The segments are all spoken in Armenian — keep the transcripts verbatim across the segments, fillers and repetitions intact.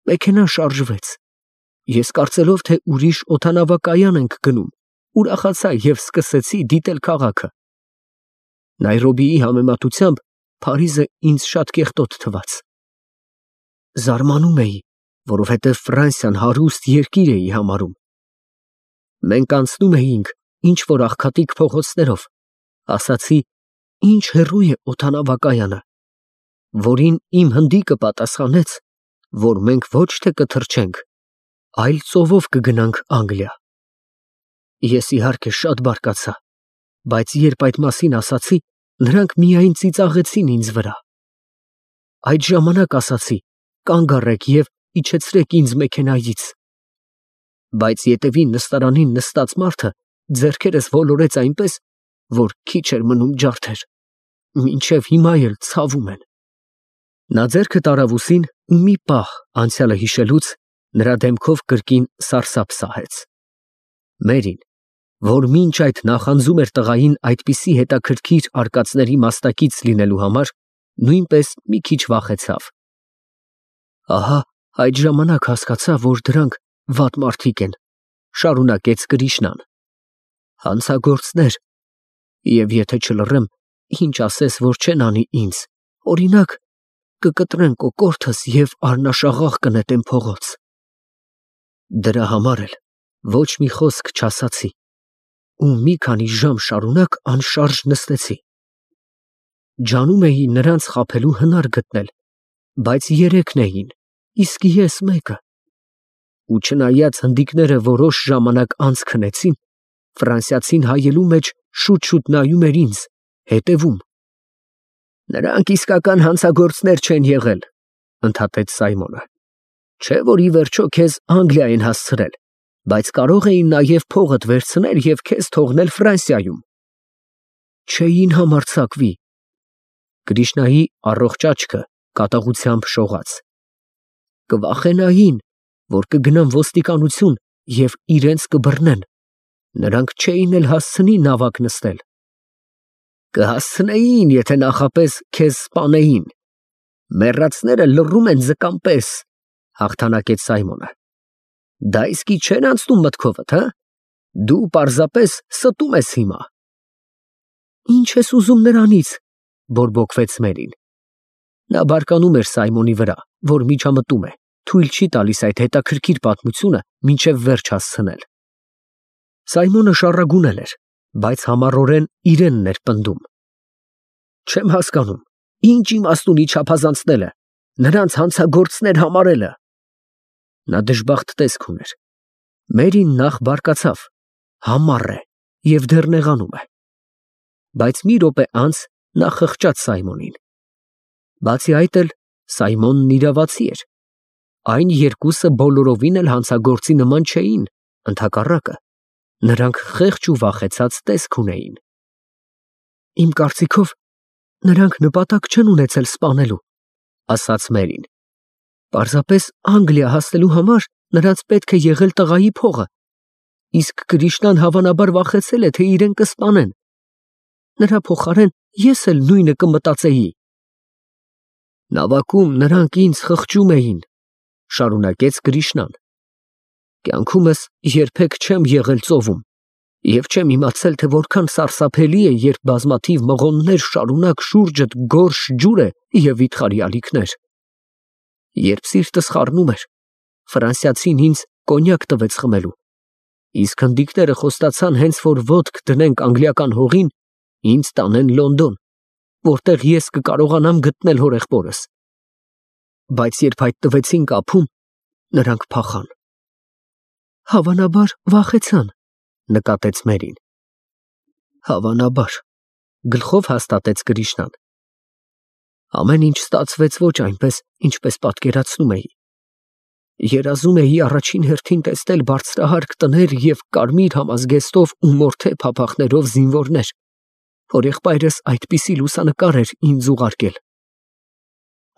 Մեքենան շարժվեց։ Ես կարծելով, թե ուրիշ օդանավակայան ենք գնում, ուրախացա և սկսեցի դիտել քաղաքը։ Նայրոբիի համեմատությամբ Փարիզը ինձ շատ կեղտոտ թվաց։ Զարմանում էի, որովհետև Ֆրանսիան հարուստ երկիր էի համարում։ Մենք անցնում էինք ինչ-որ աղքատիկ փողոցներով, ասացի, ինչ հեռու է օդանավակայանը, որին իմ հնդիկը պատասխանեց, որ մենք ոչ թե կթռչենք, այլ ծովով կգնանք Անգլիա։ Ես իհարկե շատ բարկացա, բայց երբ այդ մասին ասացի, նրանք միայն ծիծաղեցին ինձ վրա։ Այդ ժամանակ ասացի, կանգ առեք և իջեցրեք ինձ մեքենայից։ Բայց ետևին նստարանին նստած մարդը ձեռքերս ոլորեց այնպես, որ քիչ էր մնում ջարդեր, մինչև հիմա էլ ցավում են։ Նա ձեռքը տարավ ուսին ու մի պահ անցյալը հիշելուց նրա դեմքով կրկին սարսափ սահեց։ Մերին, որ մինչ այդ նախանձում էր տղային այդպիսի հետաքրքիր արկածների մասնակից լինելու համար, նույնպես մի քիչ վախեցավ։ Ահա այդ ժամանակ հասկացա, որ դրանք վատ մարդիկ են, շարունակեց Կրիշնան։ Հանցագործներ, և եթե չլռեմ, ինչ ասես, որ չեն անի ինձ, օրինակ, կկտրեն կոկորդս և առնաշաղախ կնետեն փողոց։ Դրա համար էլ ոչ մի խոսք չասացի ու մի քանի ժամ շարունակ անշարժ նստեցի։ Ջանում էի նրանց խաբելու հնար գտնել, բայց երեքն էին, իսկ ես մեկը։ Ու չնայած հնդիկները որոշ ժամանակ անց քնեցին, ֆրանսիացին հայելու մեջ շուտ-շուտ նայում էր ինձ, հետևում։ Նրանք իսկական հանցագործներ չեն եղել, ընդհատեց Սայմոնը։ Չէ՞ որ ի վերջո քեզ Անգլիա են հասցրել, բայց կարող էին նաև փողդ վերցնել և քեզ թողնել Ֆրանսիայում։ Չէին համարձակվի։ Կրիշնայի առողջ աչքը կատաղությամբ շողաց։ Կվախենային, որ կգնան ոստիկանություն և իրենց կբռնեն, նրանք չէին էլ հասցնի նավակ նստել։ Կհասցնեին, եթե նախապես քեզ սպանեին։ Մեռածները լռում են ձկան պես, հաղթանակեց Սայմոնը։ Դա իսկի չեն անցնում մտքովդ, հը։ Դու պարզապես ստում ես հիմա։ Ինչ ես ուզում նրանից, բորբոքվեց Մերին։ Նա բարկանում էր Սայմոնի վրա, որ միջամտում է, թույլ չի տալիս այդ հետաքրքիր պատմությունը մինչև վերջ հասցնել։ Սայմոնը շառագունել էր, բայց համառորեն իրենն էր պնդում։ Չեմ հասկանում, ինչ իմաստ ունի չափազանցնելը, նրանց հանցագործներ համարելը։ Նա դժբախտ տեսք ուներ։ Մերին նախ բարկացավ, համառ է և դեռ նեղանում է։ Բայց մի րոպե անց նա խղճաց Սայմոնին։ Բացի այդ էլ Սայմոնն իրավացի էր։ Այն երկուսը բոլորովին էլ հանցագործի նման չէին, ընդհակառակը, նրանք խեղճ ու վախեցած տեսք ունեին։ Իմ կարծիքով, նրանք նպատակ չեն ունեցել սպանելու, ասաց Մերին։ Պարզապես Անգլիա հասնելու համար նրանց պետք է եղել տղայի փողը, իսկ Կրիշնան հավանաբար վախեցել է, թե իրեն կսպանեն։ Նրա փոխարեն ես էլ նույնը կմտածեի։ Նավակում նրանք ինձ խղճում էին, շարունակեց Կրիշնան։ Կյանքումս երբեք չեմ եղել ծովում և չեմ իմացել, թե որքան սարսափելի է, երբ բազմաթիվ մղոններ շարունակ շուրջդ գորշ ջուր է և վիթխարի ալիքներ։ Երբ սիրտս խառնում էր, ֆրանսիացին ինձ կոնյակ տվեց խմելու, իսկ հնդիկները խոստացան հենց որ ոտք դնենք անգլիական հողին, ինձ տանեն Լոնդոն, որտեղ ես կկարողանամ գտնել հորեղբորս։ Բայց երբ հայտնվեցինք ափում, նրանք փախան։ Հավանաբար վախեցան, նկատեց Մերին։ Հավանաբար, գլխով հաստատեց Կրիշնան։ Ամեն ինչ ստացվեց ոչ այնպես, ինչպես պատկերացնում էի։ Երազում էի առաջին հերթին տեսնել բարձրահարկ տներ և կարմիր համազգեստով ու մորթե փափախներով զինվորներ, որ եղբայրս այդպիսի լուսանկար էր ինձ ուղարկել։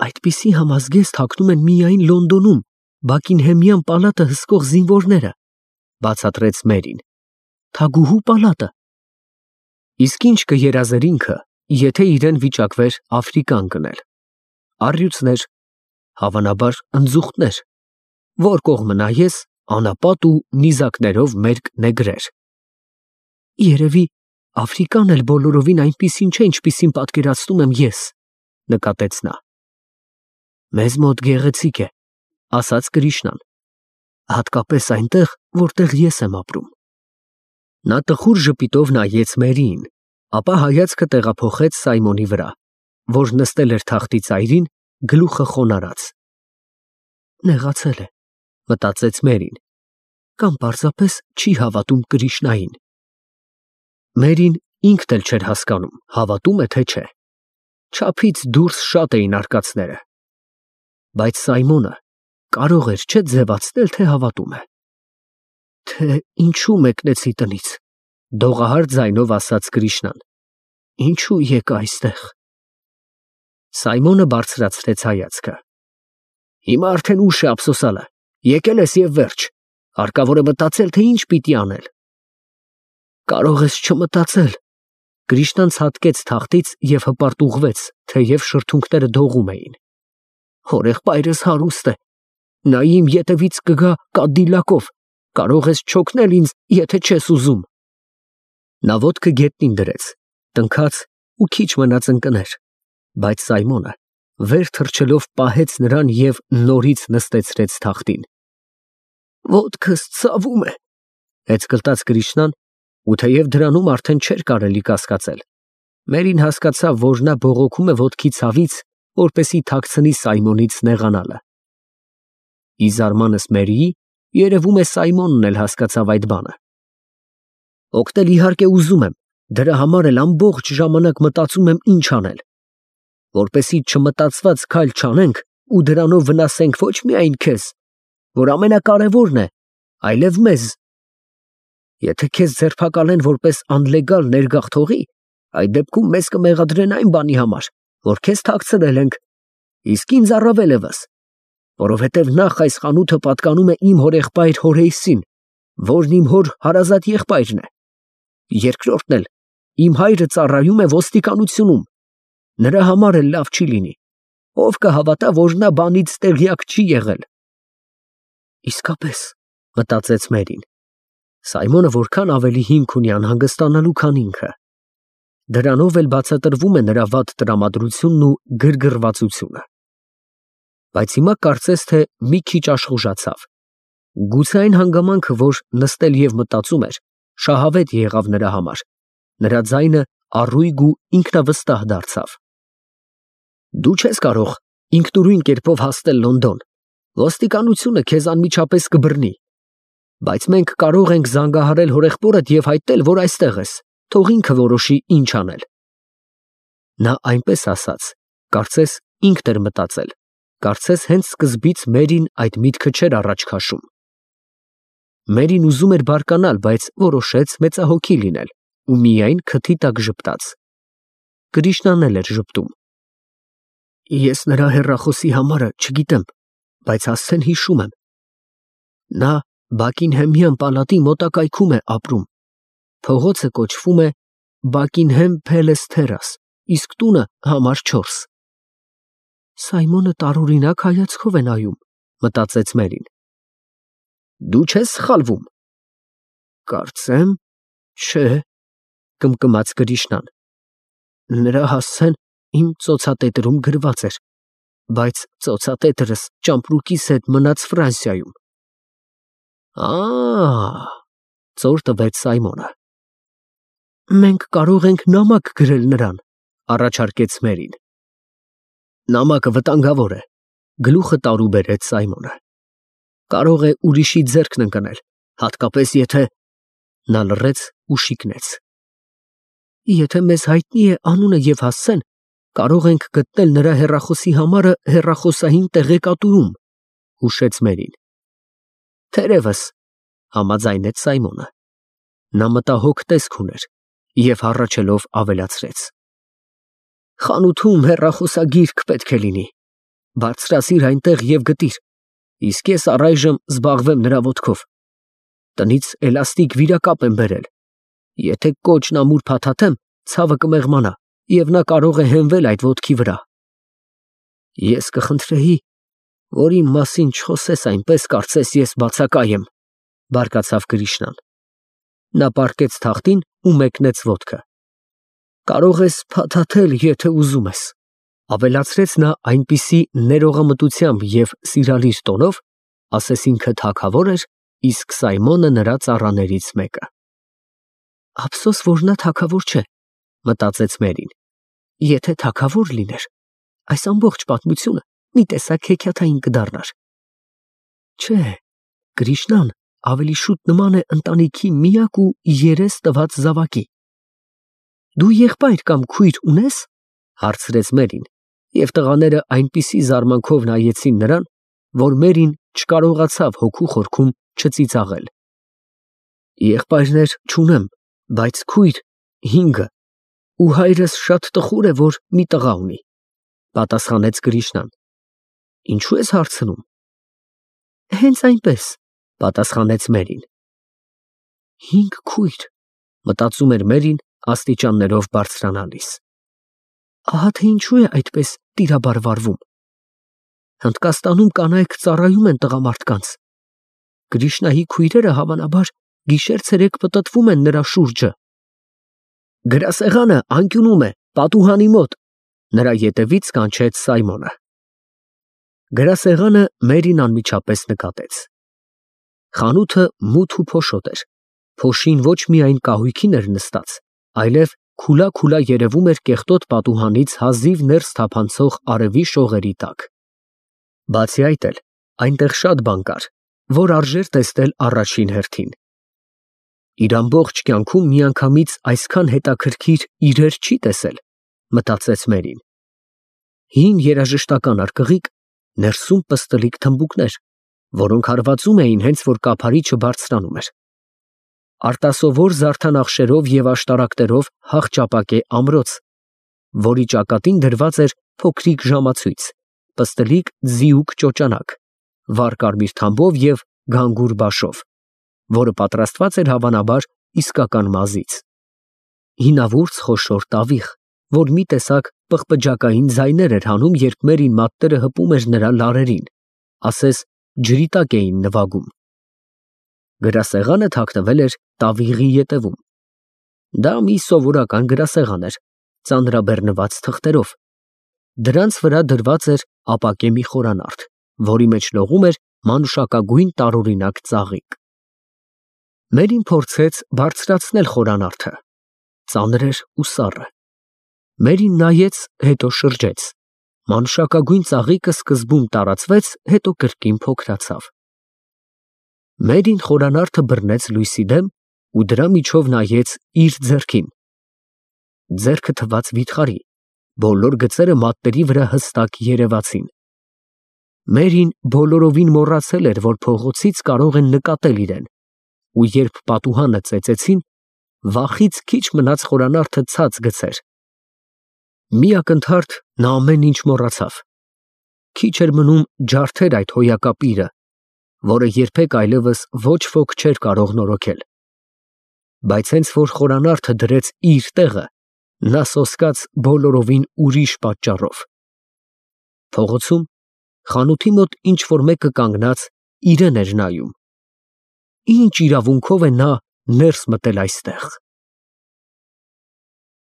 Այդպիսի համազգեստ հագնում են միայն Լոնդոնում Բաքինհեմյան պալատը հսկող զինվորները, բացատրեց Մերին։ Թագուհու պալատը։ Իսկ ինչ կերազեր ինքը, եթե իրեն վիճակվեր Աֆրիկան գնել։ Առյուծներ, հավանաբար ընձուղտներ, որ կողմը նայես, անապատ ու նիզակներով մերկ նեգրեր։ Երևի Աֆրիկան էլ բոլորովին այնպիսին չէ, ինչպիսին պատկերացնում եմ ես, նկատեց նա։ Մեզ մոտ գեղեցիկ է, ասաց Կրիշնան, հատկապես այնտեղ, որտեղ ես եմ ապրում։ Նա տխուր ժպիտով նայեց Մերիին, ապա հայացքը տեղափոխեց Սայմոնի վրա, որ նստել էր թախտի ծայրին, գլուխը խոնարհած։ Նեղացել է, մտածեց Մերին, կամ պարզապես չի հավատում Կրիշնային։ Մերին ինքն էլ չէր հասկանում, հավատում է թե չէ։ Չափից դուրս շատ էին արկածները։ Բայց Սայմոնը կարող էր չէ ձևացնել, թե հավատում է։ Թե ինչու մեկնեցի տնից, դողահար ձայնով ասաց Կրիշնան։ Ինչու եկա այստեղ։ Սայմոնը բարձրացրեց հայացքը։ Հիմա արդեն ուշ է ափսոսալը, եկել ես և վերջ, հարկավոր է մտածել, թե ինչ պիտի անել։ Կարող ես չմտածել։ Կրիշնան ցատկեց թախտից և հպարտուղվեց, թեև շրթունքները դողում էին։ Հորեղբայրս հարուստ է, նա իմ ետևից կգա կադիլակով, կարող ես չօգնել ինձ, եթե չես ուզում։ Նա ոտքը գետնին դրեց, տնքաց ու քիչ մնաց ընկներ, բայց Սայմոնը վեր թռչելով պահեց նրան և նորից նստեցրեց թախտին։ Ոտքս ցավում է, հեծկլտաց Կրիշնան, ու թեև դրանում արդեն չէր կարելի կասկածել, Մերին հասկացավ, որ նա բողոքում է ոտքի ցավից, որպեսզի թաքցնի Սայմոնից նեղանալը։ Ի զարմանս Մերիի, երևում է Սայմոնն էլ հասկացավ այդ բանը։ Օգնել իհարկե ուզում եմ, դրա համար էլ ամբողջ ժամանակ մտածում եմ ինչ անել, որպեսզի չմտածված քայլ չանենք ու դրանով վնասենք ոչ միայն քեզ, որ ամենակարևորն է, այլև մեզ։ Եթե քեզ ձերբակալեն որպես անլեգալ ներգաղթողի, այդ դեպքում մեզ կմեղադրեն այն բանի համար, որ քեզ թաքցրել ենք, իսկ ինձ առավել ևս, որովհետև նախ այս խանութը պատկանում է իմ հորեղբայր Հորեյսին, որն իմ հոր հարազատ եղբայրն է, երկրորդն էլ իմ հայրը ծառայում է ոստիկանությունում, նրա համար էլ լավ չի լինի, ով կհավատա, որ նա բանից տեղյակ չի եղել։ Իսկապես, մտածեց Մերին, Սայմոնը որքան ավելի հիմք ունի անհանգստանալու, քան ինքը։ Դրանով էլ բացատրվում է նրա վատ տրամադրությունն ու գրգռվածությունը։ Բայց հիմա կարծես թե մի քիչ աշխուժացավ։ Գուցե այն հանգամանքը, որ նստել և մտածում էր, շահավետ եղավ նրա համար, նրա ձայնը առույգ ու ինքնավստահ դարձավ։ Դու չես կարող ինքնուրույն կերպով հասնել Լոնդոն, ոստիկանությունը քեզ անմիջապես կբռնի, բայց մենք կարող ենք զանգահարել հորեղբորդ և հայտնել, որ այստեղ ես, թող ինքը որոշի ինչ անել։ Նա այնպես ասաց, կարծես ինքն էր մտածել, կարծես հենց սկզբից Մերին այդ միտքը չէր առաջ քաշում։ Մերին ուզում էր բարկանալ, բայց որոշեց մեծահոգի լինել ու միայն քթի տակ ժպտաց։ Կրիշնան էլ էր ժպտում։ Ես նրա հեռախոսի համարը չգիտեմ, բայց հասցեն հիշում եմ։ Նա Բակինհեմյան պալատի մոտակայքում է ապրում։ Փողոցը կոչվում է Բակինհեմ Փելես Թերաս, իսկ տունը համար չորս։ Սայմոնը տարօրինակ հայացքով է նայում, մտածեց Մերին։ Դու չես սխալվում։ Կարծեմ, չէ, կմկմաց Կրիշնան։ Նրա հասցեն իմ ծոցատետրում գրված էր, բայց ծոցատետրս ճամպրուկիս հետ մնաց Ֆրանսիայում։ Ա՜, ծոր տվեց Սայմոնը։ Մենք կարող ենք նամակ գրել նրան, առաջարկեց Մերին։ Նամակը վտանգավոր է, գլուխը տարուբերեց Սայմոնը։ Կարող է ուրիշի ձեռքն ընկնել, հատկապես եթե… Նա լռեց ու շիկնեց։ Եթե մեզ հայտնի է անունը և հասցեն, կարող ենք գտնել նրա հեռախոսի համարը հեռախոսային տեղեկատուում, հուշեց Մերին։ Թերևս, համաձայնեց Սայմոնը։ Նա մտահոգ տեսք ուներ և հառաչելով ավելացրեց. Խանութում հեռախոսագիրք պետք է լինի, բարձրացիր այնտեղ և գտիր, իսկ ես առայժմ զբաղվեմ նրա ոտքով։ Տնից էլաստիկ վիրակապ եմ բերել, եթե կոճն ամուր փաթաթեմ, ցավը կմեղմանա և նա կարող է հենվել այդ ոտքի վրա։ Ես կխնդրեի, Որ իմ մասին չխոսես այնպես, կարծես ես բացակայ եմ, բարկացավ Գրիշնան։ Նա պառկեց թախտին ու մեկնեց ոտքը։ Կարող ես փաթաթել, եթե ուզում ես, ավելացրեց նա այնպիսի ներողամտությամբ և սիրալիր տոնով, ասես ինքը թագավոր էր, իսկ Սայմոնը նրա ծառաներից մեկը։ Ափսոս, որ նա թագավոր չէ, մտածեց Մերին։ Եթե թագավոր լիներ, այս ամբողջ պատմությունը մի տեսակ հեքիաթային կդառնար։ Չէ, Գրիշնան ավելի շուտ նման է ընտանիքի միակ ու երես տված զավակի։ Դու եղբայր կամ քույր ունես, հարցրեց Մերին, և տղաները այնպիսի զարմանքով նայեցին նրան, որ Մերին չկարողացավ հոգու խորքում չծիծաղել։ Եղբայրներ չունեմ, բայց քույր հինգը, ու հայրս շատ տխուր է, որ մի տղա ունի, պատասխանեց Գրիշնան։ Ինչու ես հարցնում։ Հենց այնպես, պատասխանեց Մերին։ Հինգ քույր, մտածում էր Մերին աստիճաններով բարձրանալիս։ Ահա թե ինչու է այդպես տիրաբար վարվում։ Հնդկաստանում կանայք ծառայում են տղամարդկանց։ Գրիշնայի քույրերը հավանաբար գիշեր-ցերեկ պտտվում են նրա շուրջը։ Գրասեղանը անկյունում է, պատուհանի մոտ, նրա ետևից կանչեց Սայմոնը։ Գրասեղանը Մերին անմիջապես նկատեց։ Խանութը մութ ու փոշոտ էր, փոշին ոչ միայն կահույքին էր նստած, այլև քուլա-քուլա երևում էր կեղտոտ պատուհանից հազիվ ներս թափանցող արևի շողերի տակ։ Բացի այդ էլ, այնտեղ շատ բան կար, որ արժեր տեսնել առաջին հերթին։ Իր ամբողջ կյանքում միանգամից այսքան հետաքրքիր իրեր չի տեսել, մտածեց Մերին։ Հին երաժշտական արկղիկ, ներսում պստլիկ թմբուկներ, որոնք հարվածում էին հենց որ կափարիչը բարձրանում էր։ Արտասովոր զարդանախշերով և աշտարակներով հախճապակե ամրոց, որի ճակատին դրված էր փոքրիկ ժամացույց, պստլիկ ձիուկ ճոճանակ, վառ կարմիր թամբով և գանգուր բաշով, որը պատրաստված էր հավանաբար իսկական մազից։ Հինավուրց խոշոր տավիղ, որ մի տեսակ պղպջակային ձայներ էր հանում, երբ Մերին մատները հպում էր նրա լարերին, ասես ջրի տակ էին նվագում։ Գրասեղանը թաքնվել էր տավիղի ետևում։ Դա մի սովորական գրասեղան էր, ծանրաբեռնված թղթերով։ Դրանց վրա դրված էր ապակե մի խորանարդ, որի մեջ լողում էր մանուշակագույն տարօրինակ ծաղիկ։ Մերին փորձեց բարձրացնել խորանարդը։ Ծանր էր ու սառը։ Մերին նայեց, հետո շրջեց։ Մանուշակագույն ծաղիկը սկզբում տարածվեց, հետո կրկին փոքրացավ։ Մերին խորանարդը բռնեց լույսի դեմ ու դրա միջով նայեց իր ձեռքին։ Ձեռքը թվաց վիթխարի, բոլոր գծերը մատների վրա հստակ երևացին։ Մերին բոլորովին մոռացել էր, որ փողոցից կարող են նկատել իրեն, ու երբ պատուհանը ծեծեցին, վախից քիչ մնաց խորանարդը ցած գցեր։ Մի ակնթարթ նա ամեն ինչ մոռացավ։ Քիչ էր մնում ջարդեր այդ հոյակապիրը, որը երբեք այլևս ոչ ոք չէր կարող նորոգել։ Բայց հենց որ խորանարդը դրեց իր տեղը, նա սոսկաց բոլորովին ուրիշ պատճառով։ Փողոցում, խանութի մոտ ինչ-որ մեկը կանգնած իրեն էր նայում։ Ինչ իրավունքով է նա ներս մտել այստեղ։